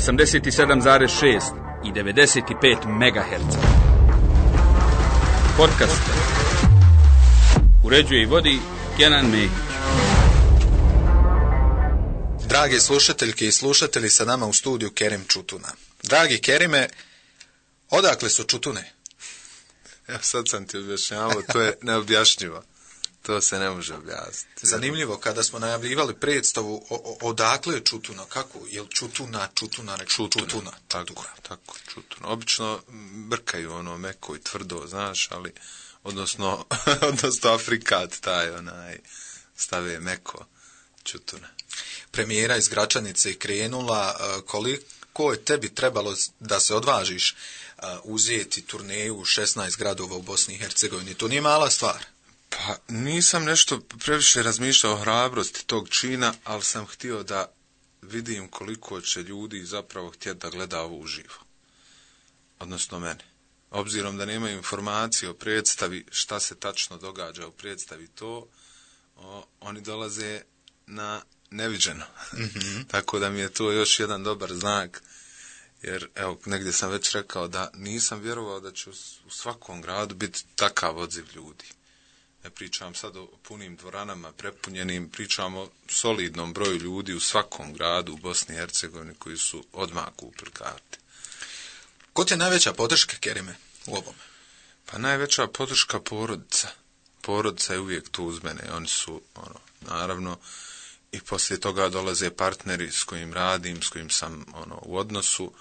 87,6 i 95 MHz. Podcast uređuje i vodi Kenan Mehić. Drage slušateljke i slušatelji, sa nama u studiju Kerim Čutuna. Dragi Kerime, odakle su Čutune? Ja sad sam ti objašnjavao, to je neobjašnjivo. To se ne može objasniti. Zanimljivo, kada smo najavljivali predstavu, odakle je Čutuna? Kako? Je li Čutuna? Tako, Čutuna. Obično brkaju ono meko i tvrdo, znaš, ali, odnosno Afrikat taj stave meko, Čutuna. Premijera iz Gračanice je krenula, koliko je tebi trebalo da se odvažiš uzeti turneju u 16 gradova u Bosni i Hercegovini? To nije mala stvar. Pa nisam nešto previše razmišljao o hrabrosti tog čina, ali sam htio da vidim koliko će ljudi zapravo htjeti da gleda ovo uživo. Odnosno mene. Obzirom da nemaju informacije o predstavi, šta se tačno događa u predstavi oni dolaze na neviđeno. Mm-hmm. Tako da mi je to još jedan dobar znak. Jer, evo, negdje sam već rekao da nisam vjerovao da će u svakom gradu biti takav odziv ljudi. Ne pričam sad o punim dvoranama, prepunjenim, pričam o solidnom broju ljudi u svakom gradu u Bosni i Hercegovini koji su odmah kupili karte. Ko ti je najveća podrška, Kerime, u ovome? Pa najveća podrška porodica. Porodica je uvijek tu uz mene. Oni su, naravno, i poslije toga dolaze partneri s kojim radim, s kojim sam u odnosu,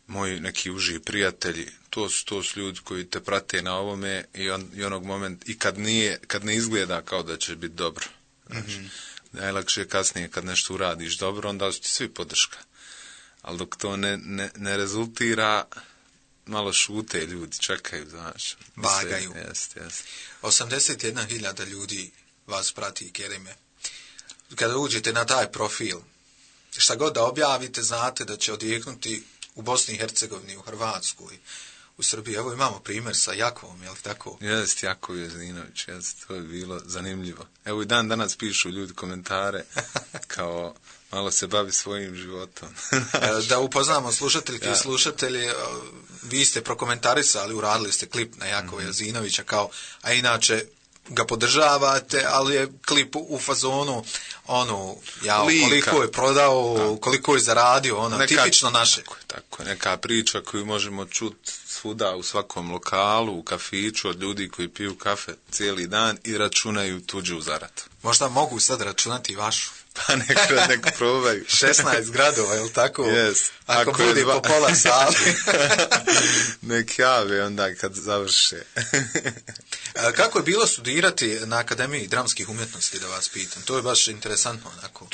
moji neki uži prijatelji, to su ljudi koji te prate na ovome i onog momenta, i kad ne izgleda kao da će biti dobro. Znači, mm-hmm. Najlakše je kasnije kad nešto uradiš dobro, onda su ti svi podrška. Ali dok to ne rezultira, malo šute ljudi, čekaju, znaš. Vagaju. Jest. 81.000 ljudi vas prati, Kerime. Kada uđete na taj profil, šta god da objavite, znate da će odjeknuti u Bosni i Hercegovini, u Hrvatskoj, u Srbiji. Evo imamo primjer sa Jakovom, je li tako? Jest, Jakov Jezdinović, jest, to je bilo zanimljivo. Evo i dan danas pišu ljudi komentare, kao malo se bavi svojim životom. Da upoznamo slušateljke i slušatelji, vi ste prokomentarisali, uradili ste klip na Jakova Jezdinovića, kao, a inače ga podržavate, ali je klip u fazonu koliko je prodao, koliko je zaradio, tipično naše. Tako, neka priča koju možemo čuti svuda u svakom lokalu, u kafiću, od ljudi koji piju kafe cijeli dan i računaju tuđu zaradu. Možda mogu sad računati i vašu. Pa nek probaju. 16 gradova, je li tako? Yes. Ako bude po pola sali. Nek jave onda kad završe. Kako je bilo studirati na Akademiji dramskih umjetnosti, da vas pitam? To je baš interesantno onako.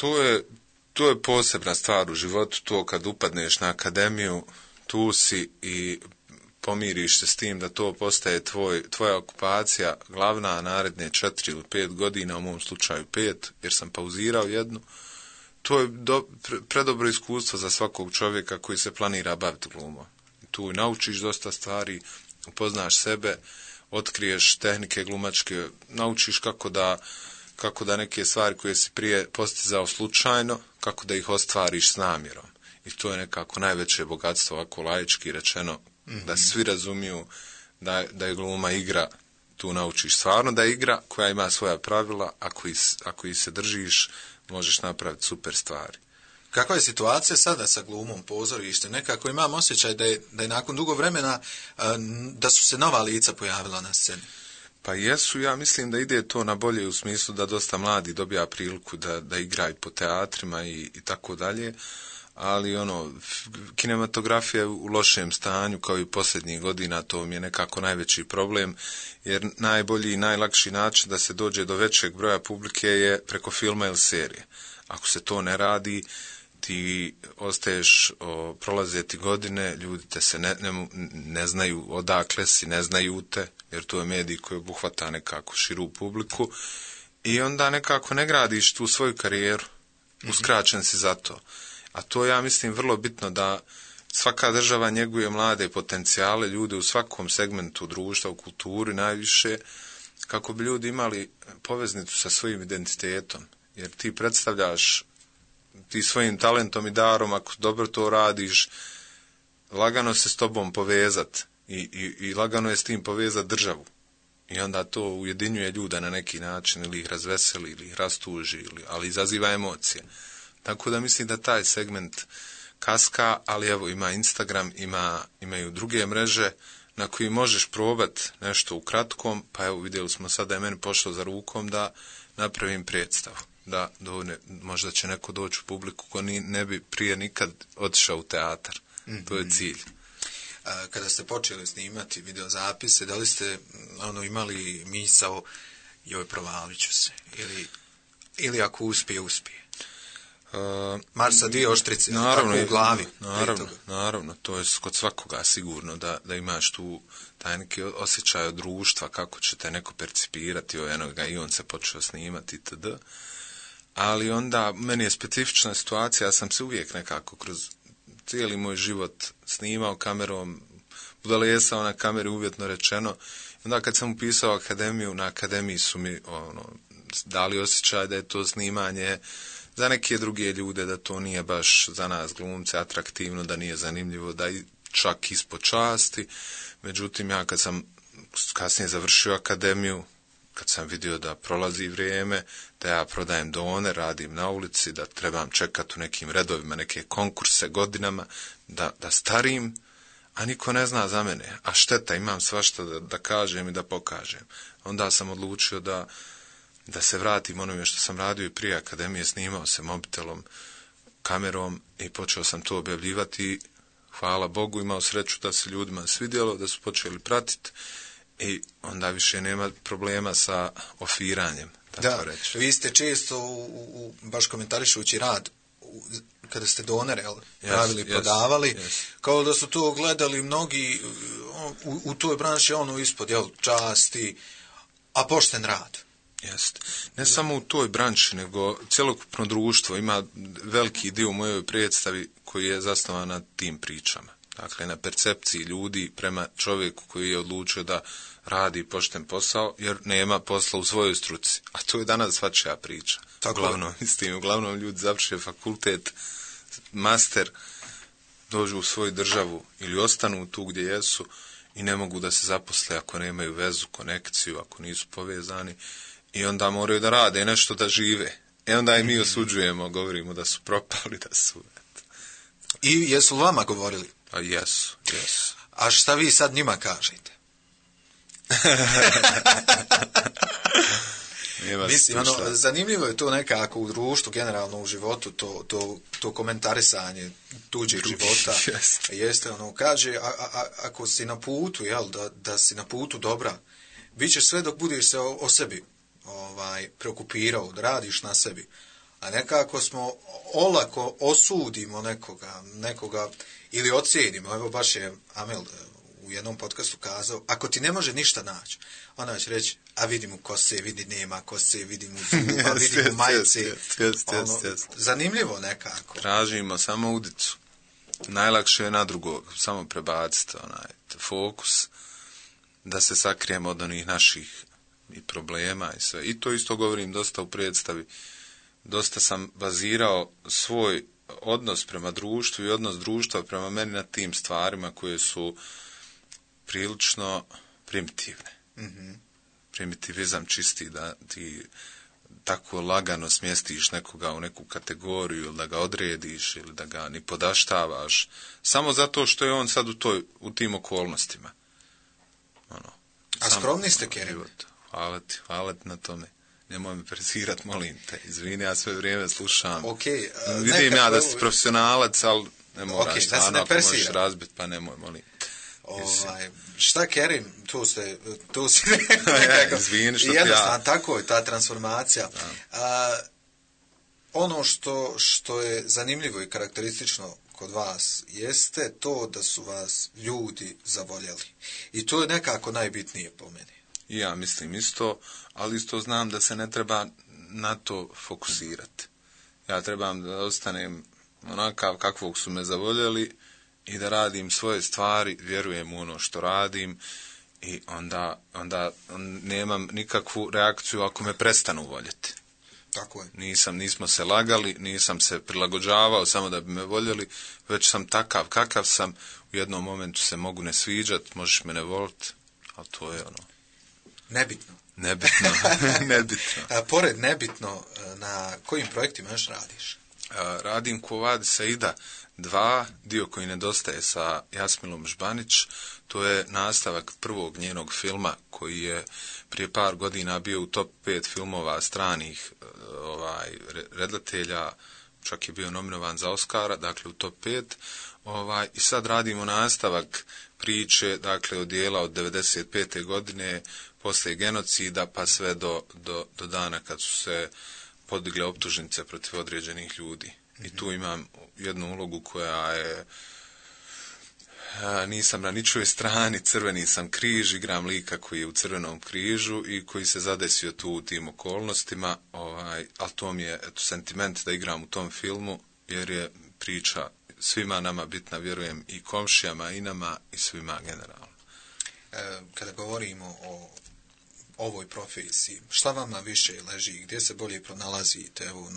To je posebna stvar u životu, to kad upadneš na akademiju, tu si i pomiriš se s tim da to postaje tvoja okupacija glavna naredne 4 ili 5 godina, u mom slučaju 5, jer sam pauzirao jednu. To je predobro iskustvo za svakog čovjeka koji se planira baviti glumom. Tu naučiš dosta stvari, upoznaš sebe, otkriješ tehnike glumačke, naučiš kako da neke stvari koje si prije postizao slučajno, kako da ih ostvariš s namjerom. I to je nekako najveće bogatstvo, ovako laički rečeno, da svi razumiju da je gluma igra. Tu naučiš stvarno da je igra koja ima svoja pravila, ako ih se držiš, možeš napraviti super stvari. Kakva je situacija sada sa glumom pozorištem? Nekako imam osjećaj da je nakon dugo vremena da su se nova lica pojavila na sceni. Pa jesu, ja mislim da ide to na bolje u smislu da dosta mladi dobija priliku da igraju po teatrima i tako dalje, ali kinematografija je u lošem stanju kao i posljednjih godina, to mi je nekako najveći problem, jer najbolji i najlakši način da se dođe do većeg broja publike je preko filma ili serije. Ako se to ne radi, ti ostaješ, prolaze ti godine, ljudi te se ne znaju odakle si, ne znaju te, jer to je medij koji obuhvata nekako širu publiku i onda nekako ne gradiš tu svoju karijeru, uskraćen si za to. A to ja mislim vrlo bitno da svaka država njeguje mlade potencijale, ljude u svakom segmentu društva, u kulturi najviše, kako bi ljudi imali poveznicu sa svojim identitetom. Jer ti predstavljaš ti svojim talentom i darom, ako dobro to radiš, lagano se s tobom povezat i lagano je s tim povezat državu. I onda to ujedinjuje ljude na neki način, ili ih razveseli, ili ih rastuži, ali izaziva emocije. Tako da mislim da taj segment kaska, ali evo ima Instagram, imaju druge mreže na koji možeš probat nešto u kratkom, pa evo vidjeli smo sad da je meni pošlo za rukom da napravim predstavu. Da možda će neko doći u publiku ko ne bi prije nikad otišao u teatar. To je cilj. Kada ste počeli snimati videozapise, da li ste imali misao joj provalit ću se? Ili ako uspije? Marsa dvije oštrice, naravno, tako u glavi. Naravno, to je kod svakoga sigurno da imaš tu taj neki osjećaj od društva, kako će te neko percipirati, i on se počeo snimati itd. Ali onda, meni je specifična situacija, ja sam se uvijek nekako kroz cijeli moj život snimao kamerom, budalesao na kameri, uvjetno rečeno. Onda kad sam upisao akademiju, na akademiji su mi dali osjećaj da je to snimanje za neke druge ljude, da to nije baš za nas glumce atraktivno, da nije zanimljivo, da i čak ispod časti. Međutim, ja kad sam kasnije završio akademiju, kad sam vidio da prolazi vrijeme, da ja prodajem done, radim na ulici, da trebam čekati u nekim redovima neke konkurse godinama, da starim, a niko ne zna za mene. A šteta, imam svašta da kažem i da pokažem. Onda sam odlučio da se vratim onome što sam radio i prije akademije, snimao se mobitelom, kamerom i počeo sam to objavljivati. Hvala Bogu, imao sreću da se ljudima svidjelo, da su počeli pratiti. I onda više nema problema sa ofiranjem, tako reći. Vi ste često, baš komentarišući rad, kada ste donere pravili, prodavali, kao da su to gledali mnogi u toj branši, ispod, časti, a pošten rad. Jeste. Ne samo u toj branši, nego cjelokupno društvo ima veliki dio u mojoj predstavi koji je zasnovan na tim pričama. Dakle, na percepciji ljudi prema čovjeku koji je odlučio da radi pošten posao, jer nema posla u svojoj struci. A to je danas svačija priča. Uglavnom ljudi završe fakultet, master, dođu u svoju državu ili ostanu tu gdje jesu i ne mogu da se zaposle ako nemaju vezu, konekciju, ako nisu povezani i onda moraju da rade nešto da žive. Onda i mi osuđujemo, govorimo da su propali, da su... I jesu vama govorili? A jesu. A šta vi sad njima kažete? Mislim, zanimljivo je to nekako u društvu, generalno u životu, to komentarisanje tuđeg života. Jeste, kaže, ako si na putu, da si na putu dobra, bit ćeš sve dok budeš se o sebi preokupirao, da radiš na sebi. A nekako smo olako osudimo nekoga ili ocijenimo. Evo baš je Amel u jednom podcastu kazao, ako ti ne može ništa naći, onda će reći, a vidi mu kose, vidi nema kose, vidi mu zuba, vidi mu majice. Zanimljivo nekako. Tražimo samo udicu. Najlakše je na drugog, samo prebaciti fokus, da se sakrijemo od onih naših i problema i sve. I to isto govorim dosta u predstavi. Dosta sam bazirao svoj odnos prema društvu i odnos društva prema meni na tim stvarima koje su prilično primitivne. Mm-hmm. Primitivizam čisti, da ti tako lagano smjestiš nekoga u neku kategoriju ili da ga odrediš ili da ga ni podaštavaš samo zato što je on sad u tim okolnostima. A skromni ste, Kerim? Hvala ti na tome. Nemoj me prezirat, molim te. Izvini, ja sve vrijeme slušam. Vidim ja da si profesionalac, ali ne moraš stvarno, ako možeš razbiti, pa nemoj, molim. Šta, Kerim, tu si izvini što jednostavno, tako je ta transformacija. Ono što je zanimljivo i karakteristično kod vas jeste to da su vas ljudi zavoljeli. I to je nekako najbitnije po meni. I ja mislim isto, ali isto znam da se ne treba na to fokusirati. Ja trebam da ostanem onakav kakvog su me zavoljeli i da radim svoje stvari, vjerujem u ono što radim i onda nemam nikakvu reakciju ako me prestanu voljeti. Tako je. Nismo se lagali, nisam se prilagođavao samo da bi me voljeli, već sam takav kakav sam. U jednom momentu se mogu ne sviđat, možeš me ne volit, ali to je ono... Nebitno. Nebitno. Pored nebitno, na kojim projektima još radiš? Radim Quo Vadis Aida 2, dio koji nedostaje sa Jasmilom Žbanić. To je nastavak prvog njenog filma koji je prije par godina bio u top 5 filmova stranih redatelja, čak je bio nominovan za Oscara, dakle u top 5. I sad radimo nastavak priče, dakle od dijela od 95. godine, poslije genocida pa sve do dana kad su se podigle optužnice protiv određenih ljudi. I tu imam jednu ulogu koja je, nisam na ničoj strani, crveni sam križ, igram lika koji je u crvenom križu i koji se zadesio tu u tim okolnostima, ali to mi je sentiment da igram u tom filmu, jer je priča svima nama bitna, vjerujem, i komšijama, i nama, i svima generalno. Kada govorimo o ovoj profesiji, šta vama više leži, gdje se bolje pronalazite? Evo,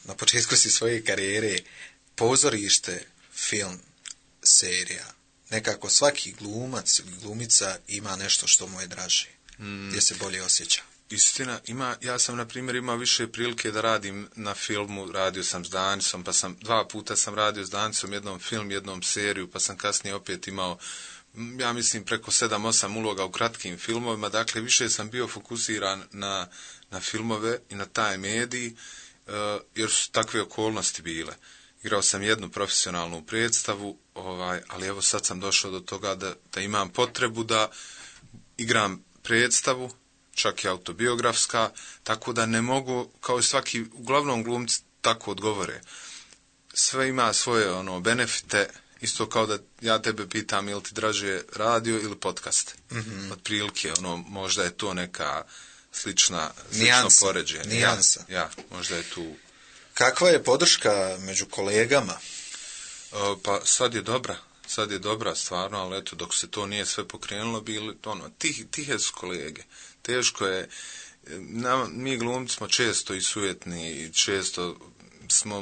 na početku si svoje karijere, pozorište, film, serija. Nekako svaki glumac ili glumica ima nešto što mu je draže. Gdje se bolje osjeća? Istina, ja sam, na primjer, imao više prilike da radim na filmu, radio sam s Danicom, pa sam 2 puta sam radio s Danicom, jednom film, jednom seriju, pa sam kasnije opet imao, ja mislim, preko 7-8 uloga u kratkim filmovima, dakle, više sam bio fokusiran na filmove i na taj medij, jer su takve okolnosti bile. Igrao sam jednu profesionalnu predstavu, ali evo sad sam došao do toga da imam potrebu da igram predstavu, čak i autobiografska, tako da ne mogu, kao i svaki, uglavnom glumci tako odgovore. Sve ima svoje benefite, isto kao da ja tebe pitam ili ti draže radio ili podcast. Otprilike, možda je to neka slično poređenje. Nijansa. Ja, možda je tu... Kakva je podrška među kolegama? Pa sad je dobra stvarno, ali eto, dok se to nije sve pokrenulo, bili tihe su kolege. Teško je, mi glumci smo često i sujetni i često smo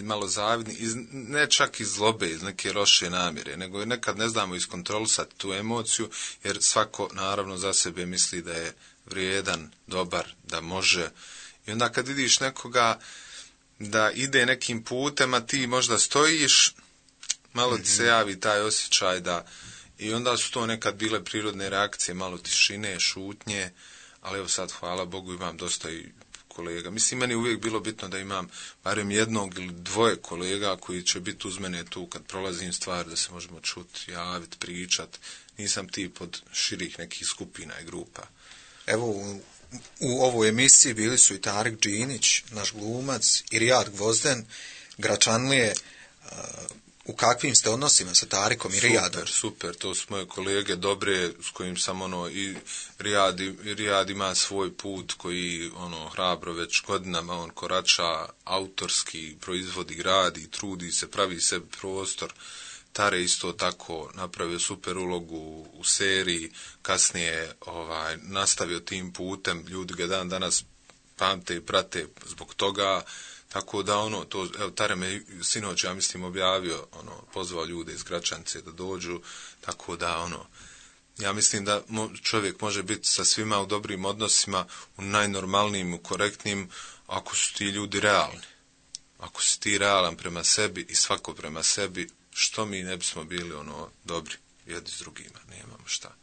malo zavidni, ne čak iz zlobe, iz neke loše namjere, nego nekad ne znamo iskontrolisati tu emociju, jer svako naravno za sebe misli da je vrijedan, dobar, da može. I onda kad vidiš nekoga da ide nekim putem, a ti možda stojiš, malo ti se javi taj osjećaj da... I onda su to nekad bile prirodne reakcije, malo tišine, šutnje, ali evo sad, hvala Bogu, imam dosta i kolega. Mislim, meni uvijek bilo bitno da imam barem jednog ili 2 kolega koji će biti uz mene tu kad prolazim stvar, da se možemo čuti, javiti, pričati. Nisam tip od širih nekih skupina i grupa. Evo, u ovoj emisiji bili su i Tarik Džinić, naš glumac, i Rijad Gvozden, Gračanlije. U kakvim ste odnosima sa Tarikom i Rijadom? Super, to su moje kolege dobre, s kojim sam i Rijad ima svoj put koji hrabro već godinama on korača, autorski proizvodi, gradi, trudi se, pravi sebi prostor. Tare isto tako napravio super ulogu u seriji, kasnije nastavio tim putem, ljudi ga dan danas pamte i prate zbog toga. Tako da Tare me sinoć, ja mislim, objavio, pozvao ljude iz Gračance da dođu, tako da ja mislim da čovjek može biti sa svima u dobrim odnosima, u najnormalnijim, u korektnim, ako su ti ljudi realni. Ako si ti realan prema sebi i svako prema sebi, što mi ne bismo bili dobri jedni s drugima, nemamo šta.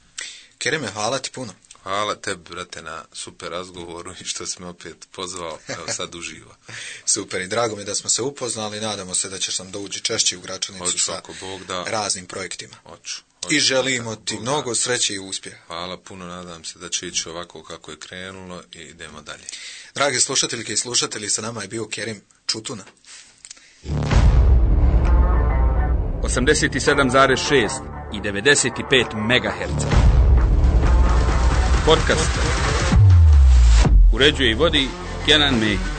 Kerime, hvala ti puno. Hvala tebi, brate, na super razgovoru i što si me opet pozvao, evo sad uživa. Super, i drago mi da smo se upoznali, nadamo se da ćeš nam doći češće u Gračanicu sa raznim projektima. Hoću. I želimo ti mnogo sreće i uspjeha. Hvala puno, nadam se da će ići ovako kako je krenulo i idemo dalje. Dragi slušateljke i slušatelji, sa nama je bio Kerim Čutuna. 87,6 i 95 MHz. Podcast. Uređuje i vodi Kenan Mehić.